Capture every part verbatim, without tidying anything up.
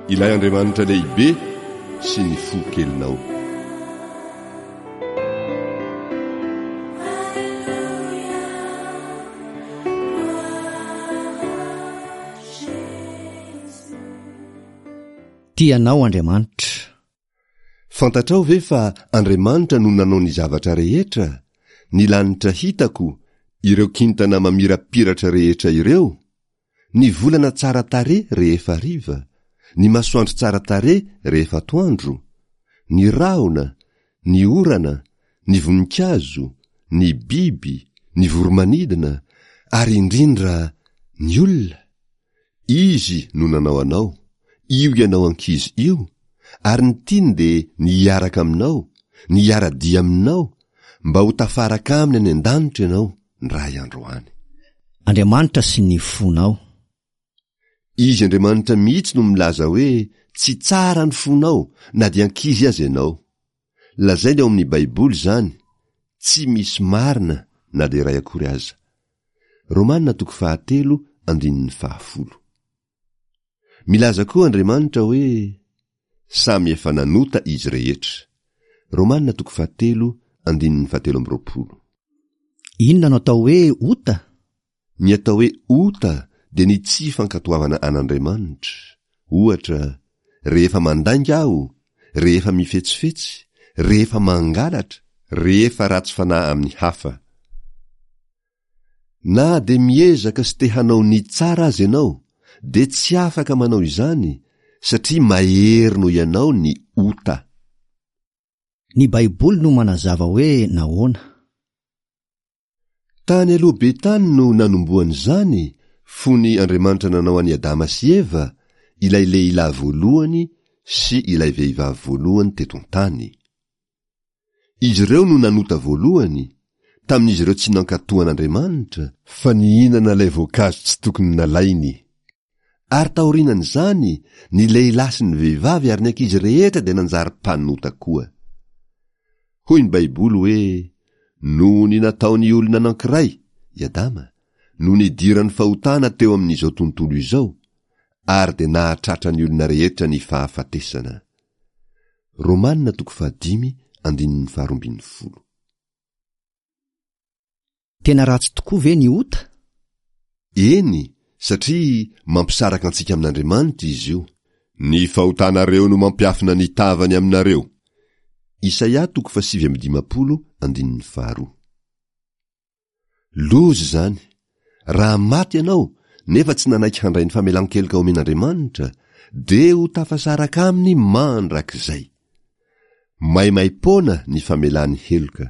Ilay Andriamanitra lehibe sy ny fo kelinao. Tia anao Andriamanitra. Fantatrao ve fa Andriamanitra no nanao ny zavatra rehetra, ny lanitra hitako, ireo kintana mamirapiratra rehetra ireo, ny volana tsara tarehy rehefa hariva, ny masoandro tsara tarehy rehefa atoandro, ny rahona, ny orana, ny voninkazo, ny biby, ny voromanidina, ary indrindra ny olona? Izy no nanao anao, io ianao ankizy io, ary ny tiany dia ny hiaraka aminao, ny hiara-dia aminao, mba ho tafaraka aminy any an-danitra ianao ndray andro any. Andriamanitra sy ny fonao. Izy Andriamanitra mihitsy no milaza hoe tsy tsara ny fonao na dia ankizy aza ianao. Lazainy ao amin'ny Baiboly izany, tsy misy marina na dia iray akory aza. Romana toko fahatelo andininy fahafolo. Milaza koa Andriamanitra hoe samy efa nanota izy rehetra. Romana toko fahatelo andininy fahatelo amby roapolo. Inona no atao hoe ota? Ny atao hoe ota dia ny tsy fankatoavana an'Andriamanitra. Ohatra, rehefa mandainga aho, rehefa mifetsifetsy, rehefa mangalatra, rehefa ratsy fanahy amin'ny hafa. Na dia miezaka sy te hanao ny tsara aza ianao, dia tsy afaka manao izany satria mahery noho ianao ny ota. Ny Baiboly no manazava hoe nahoana. Tany aloha be tany no nanombohan'izany, fony Andriamanitra nanao an'i Adama sy Eva, ilay lehilahy voalohany sy ilay vehivavy voalohany teto an-tany. Izy ireo no nanota voalohany, tamin'izy ireo tsy nankatò an'Andriamanitra, fa nihinana ilay voankazo tsy tokony nalainy. Ary taorianan'izany, ny lehilahy sy ny vehivavy ary ny ankizy rehetra dia nanjary mpanota koa. Hoy ny Baiboly hoe, Noho ny nataon'ny olona anankiray, i Adama, no nidiran'ny fahotana teo amin'izao tontolo izao, ary dia nahatratra ny olona rehetra ny fahafatesana. Romana toko fahadimy andininy faharoa ambin'ny folo. Tena ratsy tokoa ve ny ota? Eny, satria mampisaraka antsika amin'Andriamanitra izy io. Ny fahotanareo no mampiafina ny tavany aminareo. Isaia toko fahasivy amby dimampolo andininy faharoa. Loza izany! Raha maty ianao nefa tsy nanaiky handray ny famelan-keloka omen'Andriamanitra, dia ho tafasaraka aminy mandrakizay. Maimaim-poana ny famelany heloka.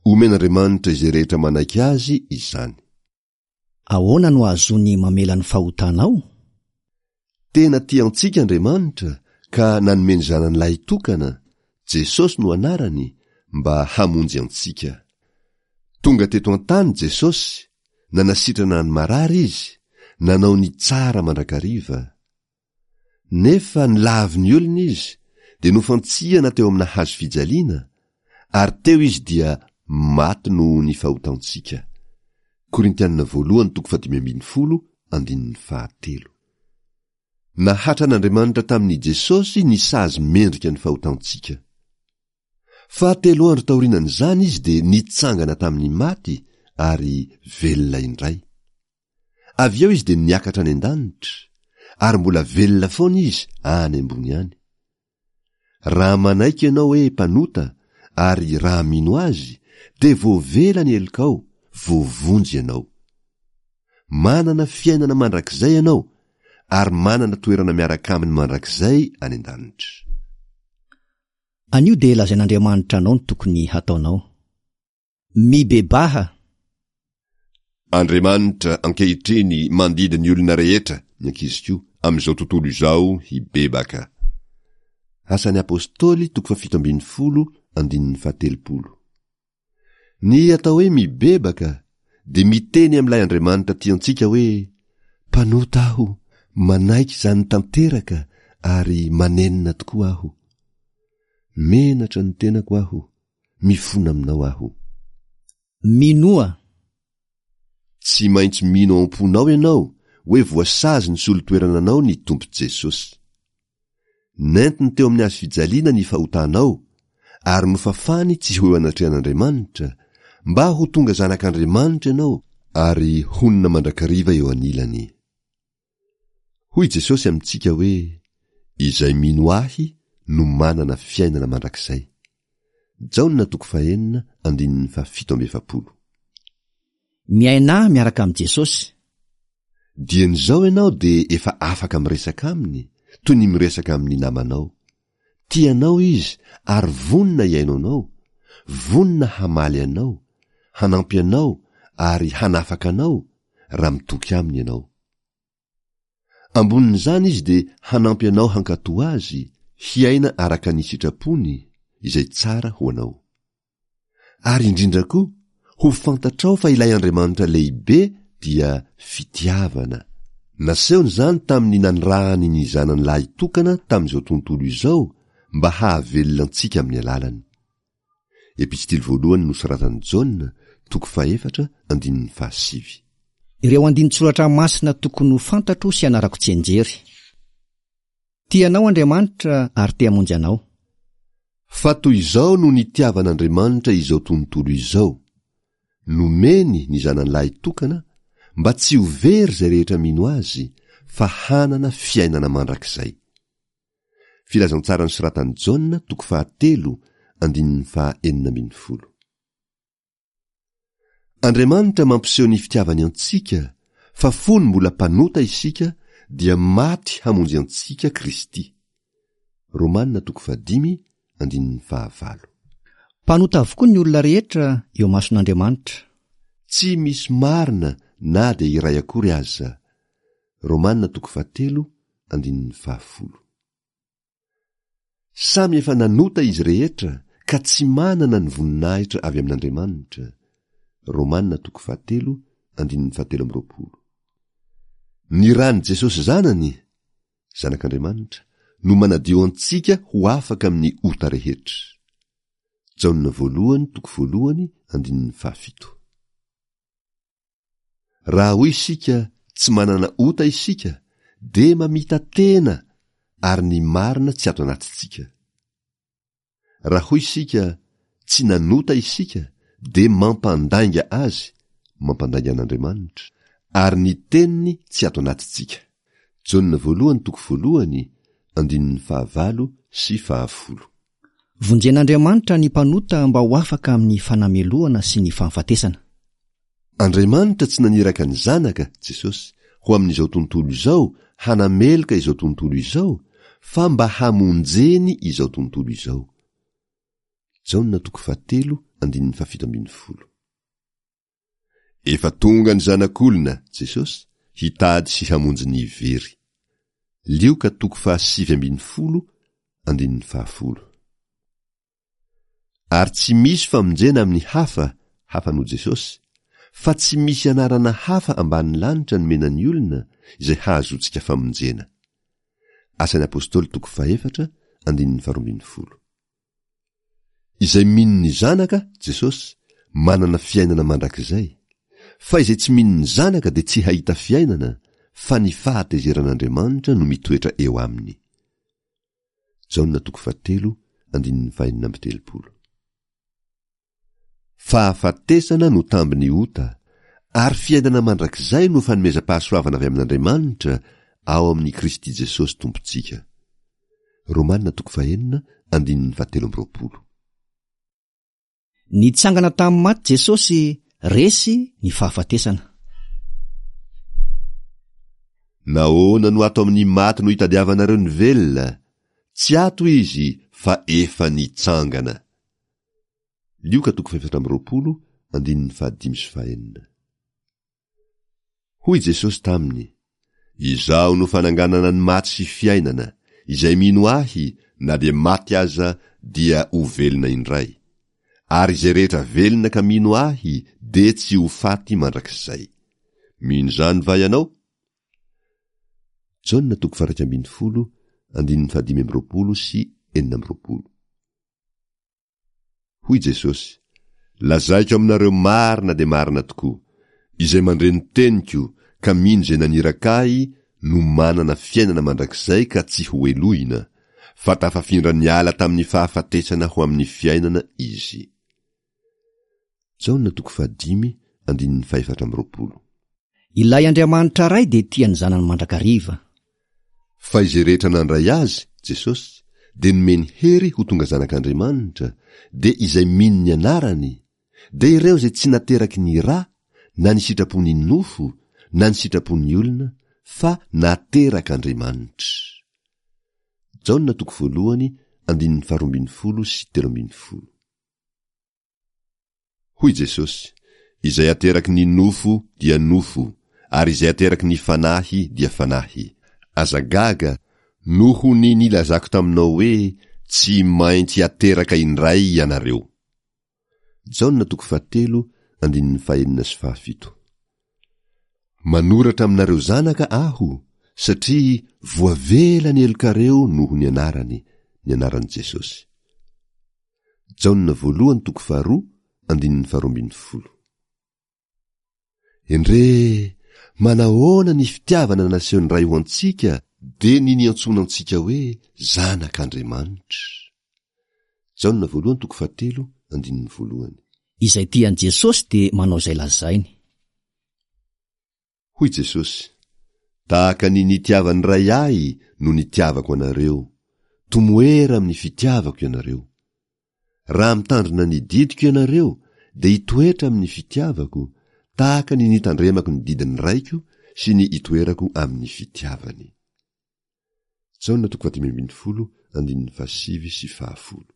Omen'Andriamanitra izay rehetra manaiky azy izany. Ahoana no ahazoany mamela ny fahotanao? Tena tia antsika Andriamanitra ka nanome ny zanany lahitokana, Jesosy no anarany, mba hamonjy antsika. Tonga teto an-tany Jesosy, nanasitrana ny marary izy, nanao ny tsara mandrakariva. Nefa nilavin'ny olona izy, dia nofantsihana teo amina hazo fijaliana, ary teo izy dia maty noho ny fahotantsika. Korintianina voalohany toko fahadimy ambin'ny folo andininy fahatelo. Nahatran'Andriamanitra tamin'i Jesosy ny sazy mendrika ny fahotantsika. Fa telo andro taorianan'izany izy dia nitsangana tamin'ny maty ary velona indray. Avy eo izy dia niakatra any an-danitra, ary mbola velona foana izy any ambony any. Raha manaiky ianao hoe mpanota ary raha mino azy, dia voavela ny helokao, voavonjy ianao. Manana fiainana mandrakizay ianao ary manana toerana miaraka aminy mandrakizay any an-danitra. Anio dia lazain'Andriamanitra anao ny tokony hataonao. Mibebaha! Andriamanitra ankehitriny mandidy ny olona rehetra, ny ankizy koa, amin'izao tontolo izao hibebaka. Asan'ny Apostoly toko fahafito ambin'ny folo andininy fahatelopolo. Ny atao hoe mibebaka dia miteny amin'ilay Andriamanitra tiantsika hoe mpanota aho, manaiky izany tanteraka ary manenina tokoa aho. Menatra ny tenako aho, mifona aminao aho. Minoa. Tsy maintsy mino ao am-ponao ianao hoe voasazy ny solotoerana anao ny Tompo Jesosy. Nentiny teo amin'ny hazo fijaliana ny fahotanao, ary nofafany tsy ho eo anatrehan'Andriamanitra, mba ho tonga zanak'Andriamanitra ianao ary honina mandrakariva eo anilany. Hoy Jesosy amintsika hoe, Izay mino ahy no manana fiainana mandrakizay. Jaona toko fahenina andininy fahafito amby efapolo. Miainà miaraka amin'i Jesosy. Dieny izao ianao dia efa afaka miresaka aminy, toy ny miresaka amin'ny namanao. Tia anao izy ary vonona hihaino anao, vonona hamaly anao, hanampy anao ary hanafaka anao raha mitoky aminy ianao. Ambonin'izany izy dia hanampy anao hankatò azy, hiaina araka ny sitrapony, izay tsara ho anao. Ary indrindra koa, ho fantatrao fa ilay Andriamanitra lehibe dia fitiavana. Nasehony izany tamin'ny nanirahany ny Zanany lahitokana tamin'izao tontolo izao mba hahavelona antsika amin'ny alalany. Epistily voalohany nosoratan'i Jaona, toko fahefatra, andininy fahasivy. Ireo andinin-tsoratra masina tokony ho fantatro sy anarako tsianjery. Tia anao Andriamanitra ary te hamonjy anao. Fa toy izao no nitiavan'Andriamanitra izao tontolo izao, nomeny ny Zanany lahitokana mba tsy ho very izay rehetra mino azy, fa hanana fiainana mandrakizay. Filazantsara nosoratan'i Jaona, toko fahatelo, andininy faha enina ambin'ny folo. Andriamanitra mampiseho ny fitiavany antsika, fa fony mbola mpanota isika dia maty hamonjy antsika Kristy. Romana toko fahadimy, andininy fahavalo. Mpanota avokoa ny olona rehetra eo imason'Andriamanitra. Tsy misy marina na dia iray akory aza. Romana toko fahatelo, andininy fahafolo. Samy efa nanota izy rehetra ka tsy manana ny voninahitra avy amin'Andriamanitra. Romana toko fahatelo, andininy fahatelo amby roapolo. Ny ran'i Jesosy Zanany, Zanak'Andriamanitra, no manadio antsika ho afaka amin'ny ota rehetra. Jaona voalohany toko voalohany andininy fahafito. Raha hoy isika tsy manana ota isika, dia mamita-tena ary ny marina tsy ato anatintsika. Raha hoy isika tsy nanota isika, dia mampandainga azy, mampandainga an'Andriamanitra, ary ny teniny tsy ato anatintsika. Jaona voalohany toko voalohany, andininy fahavalo sy fahafolo. Vonjen'Andriamanitra ny mpanota mba ho afaka amin'ny fanamelohana sy ny fahafatesana. Andriamanitra tsy naniraka ny Zanaka, Jesosy, ho amin'izao tontolo izao hanameloka izao tontolo izao, fa mba hamonjeny izao tontolo izao. Jaona toko fahatelo, andininy fahafito ambin'ny folo. Efa tonga ny Zanak'olona, Jesosy, hitady sy hamonjy ny very. Lioka toko fahasivy ambin'ny folo, andininy fahafolo. Ary tsy misy famonjena amin'ny hafa, hafa noho Jesosy, fa tsy misy anarana hafa ambanin'ny lanitra nomena ny olona izay hahazoantsika famonjena. Asan'ny Apostoly toko fahefatra, andininy faharoa ambin'ny folo. Izay mino ny Zanaka, Jesosy, manana fiainana mandrakizay, fa izay tsy mino ny Zanaka dia tsy hahita fiainana, fa ny fahatezeran'Andriamanitra no mitoetra eo aminy. Jaona toko fahatelo, andininy fahenina amby telopolo. Fahafatesana no tambin'ny ota, ary fiainana mandrakizay no fanomezam-pahasoavana avy amin'Andriamanitra ao amin'i Kristy Jesosy Tompontsika. Romana toko fahenina, andininy fahatelo amby roapolo. Nitsangana tamin'ny maty Jesosy, resy ny fahafatesana. Nahoana no ato amin'ny maty no itadiavanareo ny velona? Tsy ato izy fa efa nitsangana. Lioka toko fahefatra amby roapolo, andininy fahadimy sy fahenina. Hoy Jesosy taminy, Izaho no fananganana ny maty sy fiainana, izay mino ahy na dia maty aza dia ho velona indray. Ary izay rehetra velona ka mino ahy dia tsy ho faty mandrakizay. Mino izany va ianao? Jaona toko faha-iraika ambin'ny folo, andininy fahadimy amby roapolo sy enina amby roapolo. Hoy Jesosy, Lazaiko aminareo marina dia marina tokoa, izay mandre ny teniko ka mino izay naniraka ahy no manana fiainana mandrakizay ka tsy ho helohina, fa tafafindra niala tamin'ny fahafatesana ho amin'ny fiainana izy. Jaona toko fahadimy andininy fahefatra amby roapolo. Ilay Andriamanitra Ray dia tia ny zanany mandrakariva. Fa izay rehetra nandray azy, Jesosy, dia nomeny hery ho tonga zanak'Andriamanitra, dia izay mino ny anarany, dia ireo izay tsy nateraky ny ra, na ny sitrapon'ny nofo, na ny sitrapon'ny olona, fa naterak'Andriamanitra. Jaona toko voalohany andininy faharoa ambin'ny folo sy telo ambin'ny folo. Hoy Jesosy, izay ateraky ny nofo dia nofo, ary izay ateraky ny fanahy dia fanahy. Aza gaga, noho ny nilazako taminao hoe tsy maintsy ateraka indray ianareo. Jaona toko fahatelo andininy fahenina sy fahafito. Manoratra aminareo zanaka aho, satria voavela ny helokareo noho ny anarany, ny anaran'i Jesosy. Jaona voalohany toko faharoa andininy faharoa ambin'ny folo. Endrey, manahoana ny fitiavana nasehon'ny Ray ho antsika dia ny niantsoana antsika hoe zanak'Andriamanitra. Jaona voalohany toko fahatelo andininy voalohany. Izay tia an'i Jesosy dia manao izay lazainy. Hoy Jesosy, tahaka ny nitiavan'ny Ray ahy no nitiavako anareo, tomoera amin'ny fitiavako ianareo. Raha mitandrina ny didiko ianareo, dia hitoetra amin'ny fitiavako, tahaka ny nitandremako ny didin'ny Raiko sy ny itoerako amin'ny fitiavany. Jaona toko fahadimy ambin'ny folo andininy fahasivy sy fahafolo.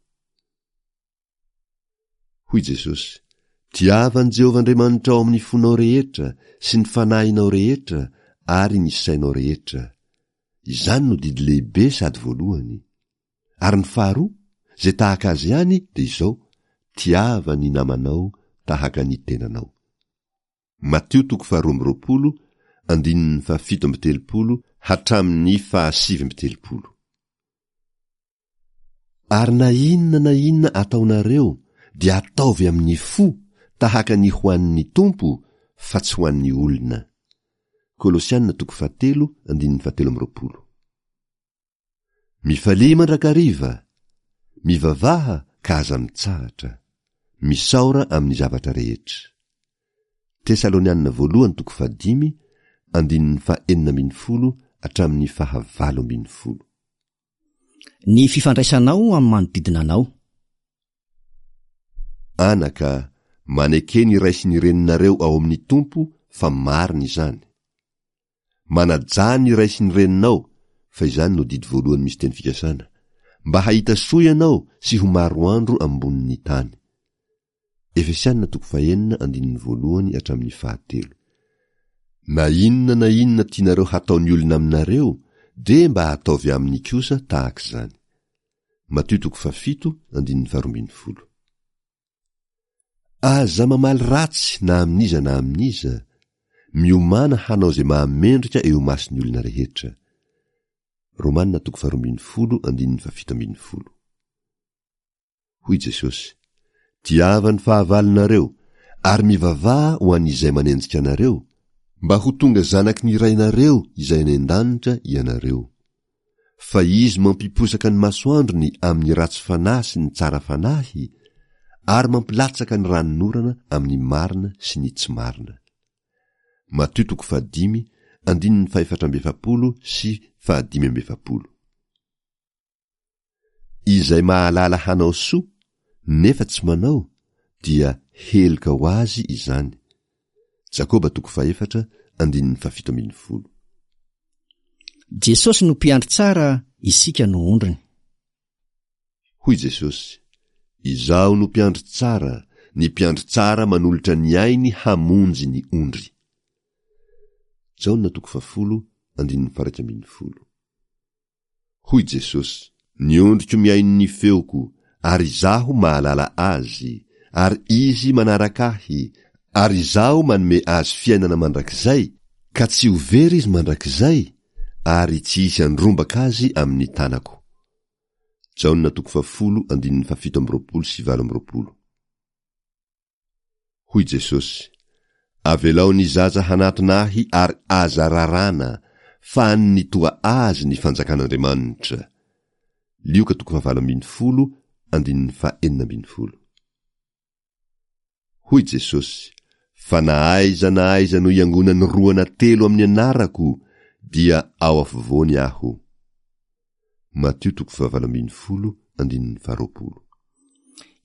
Hoy Jesosy, tiava an'i Jehovah Andriamanitra ao amin'ny fonao rehetra sy ny fanahinao rehetra ary ny sainao rehetra. Izany no didy lehibe sady voalohany. Ary ny faharoa, izay tahaka azy ihany dia izao, tiava ny namanao tahaka ny tenanao. Matio toko faharoa amby roapolo, andininy fahafito amby telopolo hatramin'ny fahasivy amby telopolo. Ary na inona na inona ataonareo dia ataovy amin'ny fo tahaka ny ho an'ny Tompo fa tsy ho an'ny olona. Kolosiana toko fahatelo andininy fahatelo amby roapolo. Mifalia mandrakariva, mivavaha ka aza mitsahatra, misaora amin'ny zavatra rehetra. Tesalonianina voalohany toko fahadimy andininy fahenina ambin'ny folo hatramin'ny fahavalo ambin'ny folo. Ny fifandraisanao amin'ny manodidina anao. Anaka, maneke ny ray sy ny reninareo ao amin'ny Tompo fa marina izany. Manajà ny ray sy ny reninao, fa izany no didy voalohany misy teny fikasana, mba hahita soa ianao sy ho maro andro ambonin'ny tany. Efesianina toko fahenina andininy voalohany hatramin'ny fahatelo. Na inona na inona tianareo hataon'ny olona aminareo, dia mba ataovy aminy kosa tahaka izany. Matio toko fahafito andininy faharoa ambin'ny folo. Aza mamaly ratsy na amin'iza na amin'iza, miomàna hanao izay mahamendrika eo imason'ny olona rehetra. Romanina toko faharoa ambin'ny folo andininy fahafito ambin'ny folo. Hoy Jesosy, tiava ny fahavalonareo ary mivavaha ho an'izay manenjika anareo, mba ho tonga zanaky ny Rainareo izay any an-danitra ianareo. Fa izy mampiposaka ny masoandrony amin'ny ratsy fanahy sy ny tsara fanahy, ary mampilatsaka ny ranonorana amin'ny marina sy ny tsy marina. Matio toko fahadimy andininy fahefatra amby efapolo sy fahadimy amby efapolo. Izay mahalala hanao soa nefa tsy manao dia heloka ho azy izany. Jakoba toko fahefatra andininy fahafito ambin'ny folo. Jesosy no mpiandry tsara, isika no ondriny. Hoy Jesosy, izaho no mpiandry tsara, ny mpiandry tsara manolotra ny ainy hamonjy ny ondry. Jaona toko fahafolo andininy faha-iraika ambin'ny folo. Hoy Jesosy, ny ondriko mihaino ny feoko, ary izaho mahalala azy, ary izy manaraka ahy, ary izaho manome azy fiainana mandrakizay, ka tsy ho very izy mandrakizay, ary tsy hisy handrombaka azy amin'ny tanako. Jaona toko fahafolo andininy fahafito amby roapolo sy valo amby roapolo. Hoy Jesosy, avelao ny zaza hanatona ahy ary aza rarana, fa an'ny toa azy ny fanjakan'Andriamanitra. Lioka toko fahavalo ambin'ny folo, andininy fahenina ambin'ny folo. Hoy Jesosy, Fa na aiza na aiza no iangonan'ny roa na telo amin'ny anarako, dia ao afovoany aho. Matio toko fahavalo ambin'ny folo, andininy faharoapolo.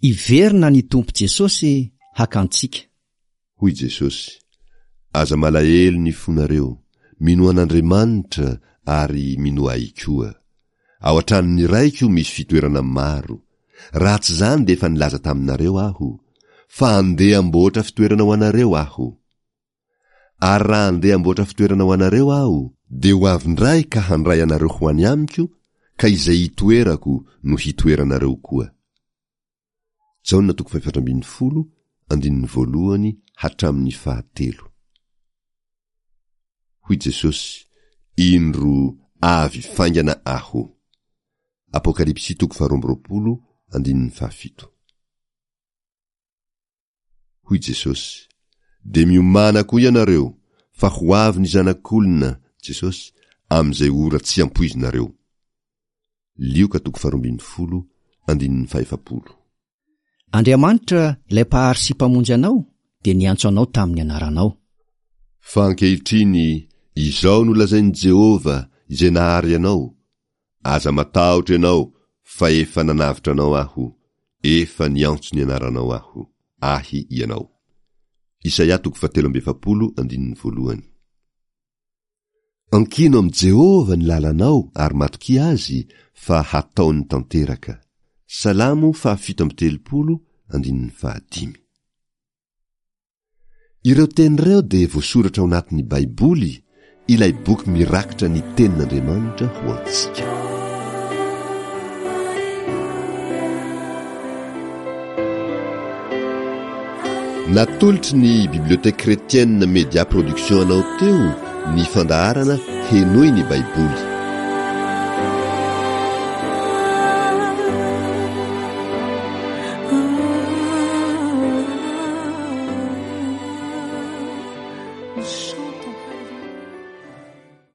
Hiverina ny Tompo Jesosy haka antsika. Hoy Jesosy, Aza malahelo ny fonareo, minoa an'Andriamanitra ary minoa Ahy koa. Ao an-tranon'ny Raiko misy fitoerana maro. Raha tsy izany dia efa nilaza taminareo Aho, fa andeha hamboatra fitoerana ho anareo Aho. Ary raha andeha hamboatra fitoerana ho anareo Aho, dia ho avy indray ka handray anareo ho any amiko, ka izay itoerako no hitoeranareo koa. Jaona toko fahefatra ambin'ny folo, andininy voalohany hatramin'ny fahatelo. Hoy Jesosy, Indro avy faingana Aho. Apokalypsy toko faharoa amby roapolo, andininy fahafito. Hoy Jesosy, Dia miomàna koa ianareo, fa ho avy ny Zanak'olona, Jesosy, amin'izay ora tsy ampoizinareo. Lioka toko faharoa ambin'ny folo, andininy fahefapolo. Andriamanitra, ilay Mpahary sy Mpamonjy anao, dia niantso anao tamin'ny anaranao. Fa ankehitriny, izao no lazain'i Jehovah, izay nahary anao, Aza matahotra ianao, fa efa nanavotra anao Aho, efa niantso ny anaranao Aho, Ahy ianao. Isaia toko fahatelo amby efapolo andininy voalohany. Ankino amin'i Jehovah ny lalanao ary matokia Azy fa hataony tanteraka. Salamo fahafito amby telopolo andininy fahadimy. Ireo teny ireo dia voasoratra ao anatin'ny Baiboly, ilay boky mirakitra ny Tenin'Andriamanitra ho antsika. Natolotry ny Bibliothèque Chrétienne Media Production anao teo ny fandaharana Henoy ny Baiboly.